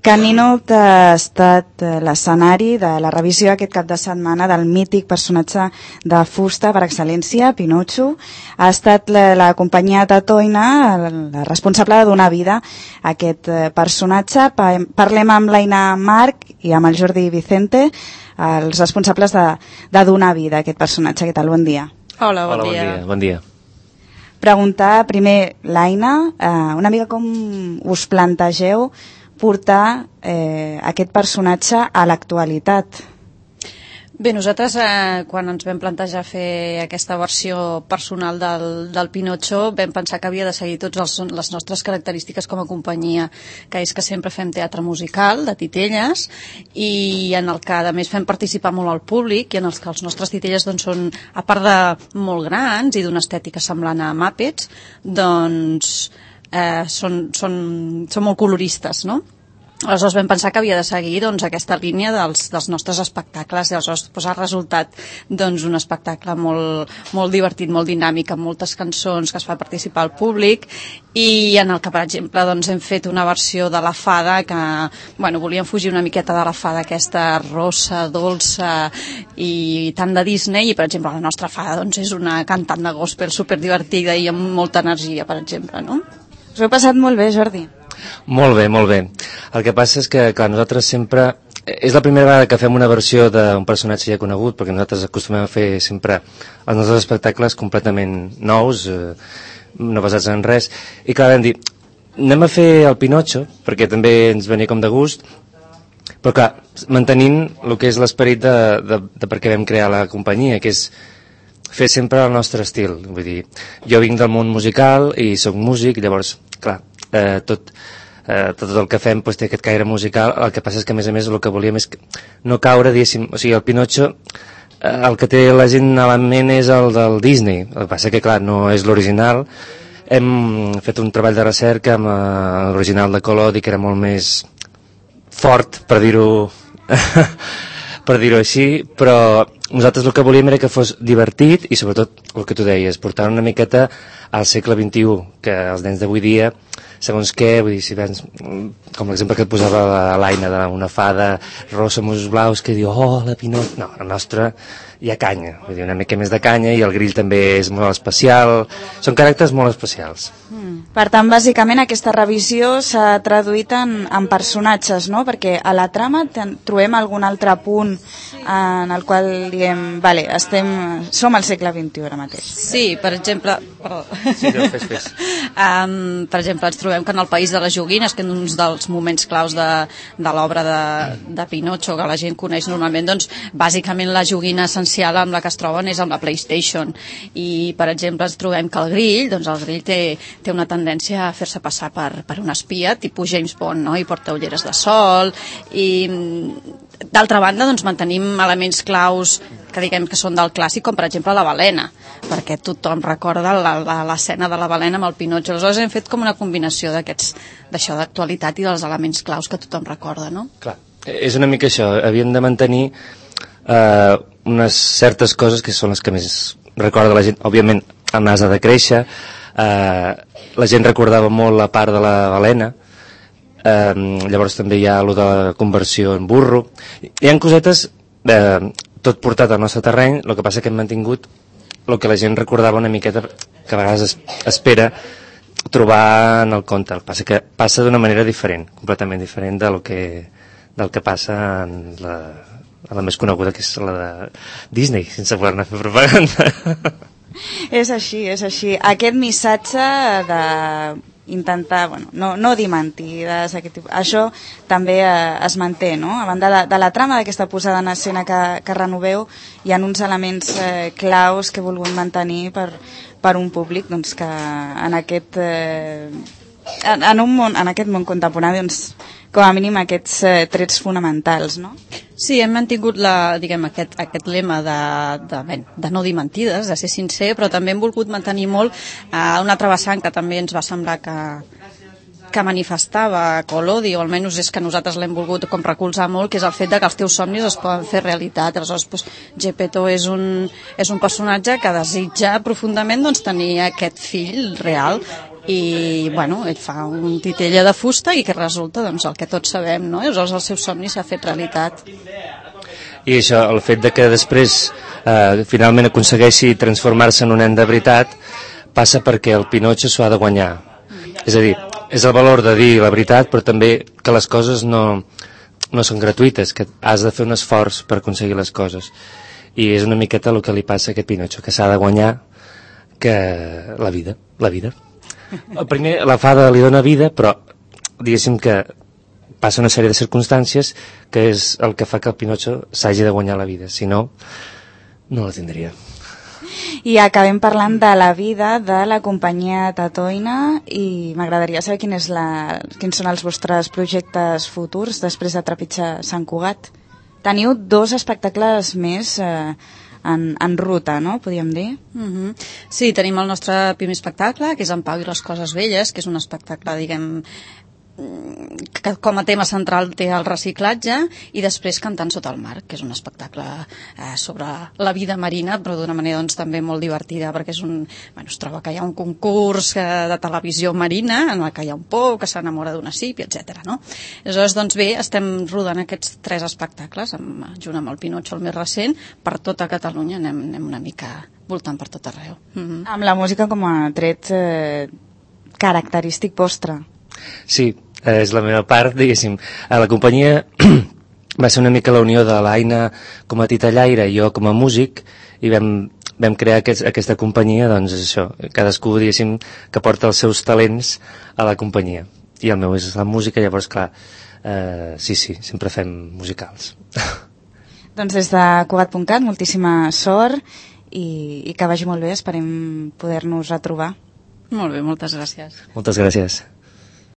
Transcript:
Canino ha estat l'escenari de la revisió aquest cap de setmana del mític personatge de fusta per excel·lència, Pinotxo. Ha estat la companyia Tatoina la responsable de donar vida a aquest personatge. Parlem amb l'Aina Marc i amb el Jordi Vicente, els responsables de donar vida a aquest personatge. Què tal? Bon dia. Hola, bon dia. Bon dia. Preguntar primer, l'Aina, una mica com us plantegeu portar aquest personatge a l'actualitat. Bé, nosaltres quan ens vam plantejar fer aquesta versió personal del Pinotxo vam pensar que havia de seguir totes les nostres característiques com a companyia, que és que sempre fem teatre musical de titelles i en el que a més fem participar molt al públic i en els que els nostres titelles doncs, són, a part de molt grans i d'una estètica semblant a Muppets, doncs són molt coloristes, no? Aleshores vam pensar que havia de seguir doncs, aquesta línia dels nostres espectacles i aleshores ha resultat doncs, un espectacle molt divertit, molt dinàmic, amb moltes cançons que es fa participar al públic i en el que, per exemple, doncs, hem fet una versió de la fada que volíem fugir una miqueta de la fada aquesta rossa, dolça i tant de Disney i, per exemple, la nostra fada doncs, és una cantant de gospel superdivertida i amb molta energia, per exemple, no? Us ho heu passat molt bé, Jordi? Molt bé, molt bé. El que passa és que, clar, nosaltres sempre... És la primera vegada que fem una versió d'un personatge ja conegut, perquè nosaltres acostumem a fer sempre els nostres espectacles completament nous, no basats en res. I clar, vam dir, anem a fer el Pinotxo, perquè també ens venia com de gust, però clar, mantenint el que és l'esperit de per què vam crear la companyia, que és fer sempre el nostre estil. Vull dir, jo vinc del món musical i sóc músic, llavors, clar, tot el que fem doncs, té aquest caire musical. El que passa és que a més el que volíem és no caure, diguéssim, o sigui, el Pinotxo el que té la gent a la ment és el del Disney, el que passa que clar, no és l'original. Hem fet un treball de recerca amb l'original de Collodi, que era molt més fort, per dir-ho per dir-ho així, però nosaltres el que volíem era que fos divertit i sobretot el que tu deies, portar una miqueta al segle XXI, que els nens d'avui dia, segons què, vull dir, si vens, com l'exemple que et posava l'Aina d'una fada rossa amb ulls blaus que diu, oh, la Pinot... No, la nostra hi ha canya, vull dir, una mica més de canya i el grill també és molt especial, són caràcters molt especials. Per tant, bàsicament aquesta revisió s'ha traduït en personatges, no? Perquè a la trama trobem algun altre punt en el qual diem, vale, som al segle XXI ara mateix. Sí, per exemple... Perdó. Sí, no, fes. Per exemple, ens trobem que en el País de les Joguines, que és un dels moments claus de l'obra de Pinotxo, que la gent coneix normalment, doncs, bàsicament la joguina essencial amb la que es troben és amb la PlayStation. I, per exemple, ens trobem que el grill té una tendència a fer-se passar per un espia, tipus James Bond, no? I porta ulleres de sol, i d'altra banda doncs, mantenim elements claus que diguem que són del clàssic, com per exemple la balena, perquè tothom recorda l'escena de la balena amb el Pinotxo. Aleshores hem fet com una combinació d'això d'actualitat i dels elements claus que tothom recorda, no? Clar, és una mica això, havíem de mantenir unes certes coses que són les que més recorda la gent. Òbviament el nas ha de créixer, la gent recordava molt la part de la balena, llavors també hi ha allò de la conversió en burro, hi ha cosetes tot portat al nostre terreny. El que passa que hem mantingut el que la gent recordava una miqueta, que a vegades espera trobar en el conte. El que passa que passa d'una manera diferent, completament diferent del que passa en la més coneguda, que és la de Disney, sense voler-ne fer propaganda. És així, és així. Aquest missatge d'intentar, no dir mentides, això també es manté, no? A banda de la trama d'aquesta posada en escena que renoveu, hi ha uns elements claus que he volgut mantenir per un públic doncs, que en aquest món contemporani doncs, com a mínim aquests trets fonamentals, no? Sí, hem mantingut aquest lema de no dir mentides, de ser sincer, però també hem volgut mantenir molt una altra vessant que també ens va semblar que manifestava Collodi, o almenys és que nosaltres l'hem volgut com recolzar molt, que és el fet de que els teus somnis es poden fer realitat. Aleshores, Geppetto és un personatge que desitja profundament tenir aquest fill real i bueno, ell fa un titella de fusta i que resulta doncs, el que tots sabem, no? Aleshores el seu somni s'ha fet realitat. I això, el fet de que després finalment aconsegueixi transformar-se en un nen de veritat passa perquè el Pinotxo s'ho ha de guanyar. És a dir, és el valor de dir la veritat, però també que les coses no són gratuïtes, que has de fer un esforç per aconseguir les coses. I és una miqueta el que li passa a aquest Pinotxo, que s'ha de guanyar que la vida. Primer la fada li dona vida, però diguéssim que passa una sèrie de circumstàncies que és el que fa que el Pinotxo s'hagi de guanyar la vida, si no, no la tindria. I acabem parlant de la vida de la companyia Tatoina i m'agradaria saber quins són els vostres projectes futurs després de trepitjar Sant Cugat. Teniu 2 espectacles més en ruta, no? Podríem dir. Sí, tenim el nostre primer espectacle, que és En Pau i les coses velles, que és un espectacle, diguem, que com a tema central té el reciclatge, i després Cantant sota el mar, que és un espectacle sobre la vida marina, però d'una manera doncs, també molt divertida, perquè es troba que hi ha un concurs de televisió marina en el que hi ha un pou que s'enamora d'una sípia, etc. No? Aleshores, doncs bé, estem rodant aquests 3 espectacles, junt amb el Pinotxo, el més recent, per tota Catalunya, anem una mica voltant per tot arreu. Amb la música com a tret característic vostre. Sí, és la meva part, diguéssim. A la companyia va ser una mica la unió de l'Aina com a titellaire i jo com a músic, i vam crear aquesta companyia, doncs és això, cadascú, diguéssim, que porta els seus talents a la companyia. I el meu és la música, llavors, clar, sí, sempre fem musicals. Doncs des de Cugat.cat, moltíssima sort i que vagi molt bé, esperem poder-nos retrobar. Molt bé, moltes gràcies. Moltes gràcies.